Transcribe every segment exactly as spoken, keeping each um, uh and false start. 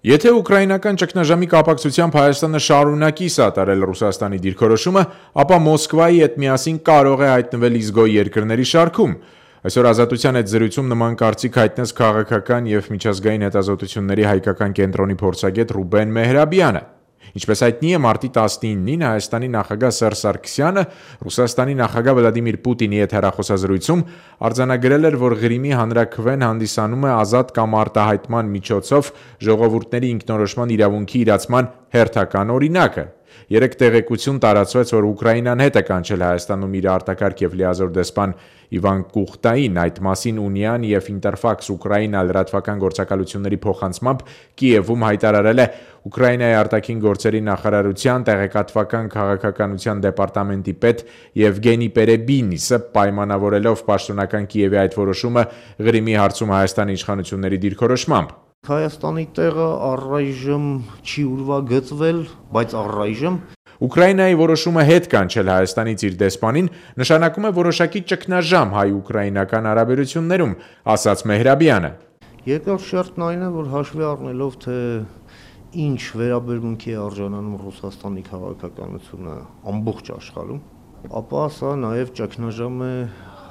Եթե ուկրաինական ճգնաժամի կապակցությամբ Հայաստանը շարունակի սատարել Ռուսաստանի դիրքորոշումը, ապա Մոսկվայի հետ միասին կարող է հայտնվել իզգոյ երկրների շարքում։ Այսօր Ազատության հետ զրույցում նման կարծիք հայտնեց քաղաքական և միջազգային հետազոտությունների հայկական կենտրոնի փորձագետ Ռուբեն Մեհրաբյանը։ Ինչպես հայտնի է, մարտի տասնինին Հայաստանի նախագահ Սերժ Սարգսյանը Ռուսաստանի նախագահ Վլադիմիր Պուտինի հետ հեռախոսազրույցում արձանագրել էր, որ Ղրիմի հանրաքվեն հանդիսանում է ազատ կամ արտահայտման միջոցով ժողովուրդների ինքնորոշման իրավունքի իրացման հերթական օրինակը։ Երեք տեղեկություն տարածվեց, որ Ուկրաինան հետ է կանչել Հայաստանում իր արտակարգ և լիազոր դեսպան Իվան Կուխտային, այդ մասին Ունիան և Ինտերֆաքս Ուկրաինա լրատվական գործակալությունների փոխանցմամբ Կիևում հայտարարել է Ուկրաինայի արտաքին գործերի նախարարության տեղեկատվական քաղաքականության դեպարտամենտի պետ Եվգենի Պերեբինիսը, պայմանավորելով պաշտոնական Կիևի այդ որոշումը Ղրիմի հարցում Հայաստանի իշխանությունների դիրքորոշմամբ։ Հայաստանի տեղը առայժմ չի ուրվագծվել, բայց առայժմ Ուկրաինայի որոշումը հետ կանչել Հայաստանից իր դեսպանին նշանակում է որոշակի ճգնաժամ հայ-ուկրաինական հարաբերություններում, ասաց Մեհրաբյանը։ Երկրորդ շերտն այն է, որ հաշվի առնելով, թե ինչ վերաբերմունքի է արժանանում Ռուսաստանի քաղաքականությունը ամբողջ աշխարհում, ապա սա նաև ճգնաժամ է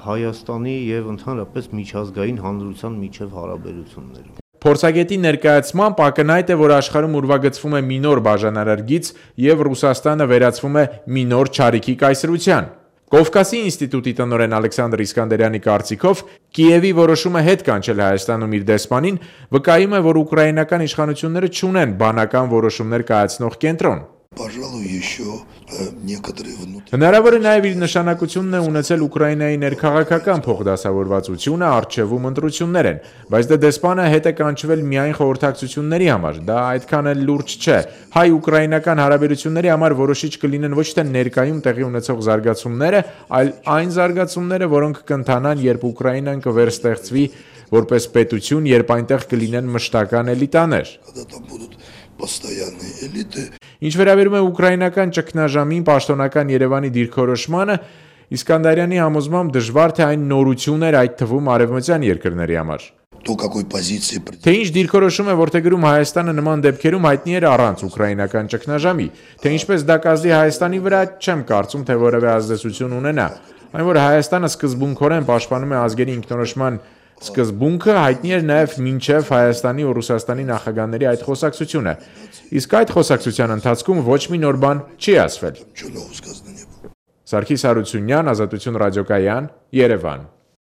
Հայաստանի և ընդհանրապես միջազգային հանրության միջև հարաբերություններում։ Փորձագետի ներկայացմամբ ակնհայտ է, որ աշխարհում ուրվագծվում է մի նոր բաժանարար գիծ և Ռուսաստանը վերածվում է մի նոր չարիքի կայսրության։ Կովկասի ինստիտուտի տնօրեն Ալեքսանդր Իսկանդերյանի կարծիքով Կիևի որոշումը հետ կանչել Հայաստանում իր դեսպանին վկայում է, որ ուկրաինական իշխանությունները չունեն բանական որոշումներ կայացնող կենտրոն։ Հնարավոր է նաև իր նշանակությունն է ունեցել Ուկրաինայի ներքաղաքական փոխդասավորվածությունը, առջևում ընտրություններ են, բայց դե դեսպանը հետ է կանչվել միայն խորհրդակցությունների համար, դա այդքան էլ լուրջ չէ։ Հայ-ուկրաինական հարաբերությունների համար որոշիչ կլինեն ոչ թե ներկայում տեղի ունեցող զարգացումները, այլ այն զարգացումները, որոնք կընթանան, երբ Ուկրաինան կվերստեղծվի որպես պետություն, երբ այնտեղ կլինեն մշտական էլիտաներ։ Ինչ վերաբերում է ուկրաինական ճգնաժամին, պաշտոնական Երևանի դիրքորոշմանը, Իսկանդարյանի համոզմամբ դժվար թե այն նորություն էր, այդ թվում արևմտյան երկրների համար։ Թե ինչ դիրքորոշում է որդեգրում Հայաստանը նման դեպքերում հայտնի էր առանց ուկրաինական ճգնաժամի, թե ինչպես դա կազդի Հայաստանի վրա, չեմ կարծում, թե որևէ ազդեցություն ունենա։ Այն, որ Հայաստանը սկզբունքորեն պաշտպանում է ազգերի ինքնորոշման սկզբունքը, հայտնի էր նաև մինչև Հայաստանի ու Ռուսաստանի նախագահների այդ խոսակցությունը, իսկ այդ խոսակցության ընթացքում ոչ մի նոր բան չի ասվել։ Սարգիս Հարությունյան, Ազատություն ռադիոկայան, Երևան։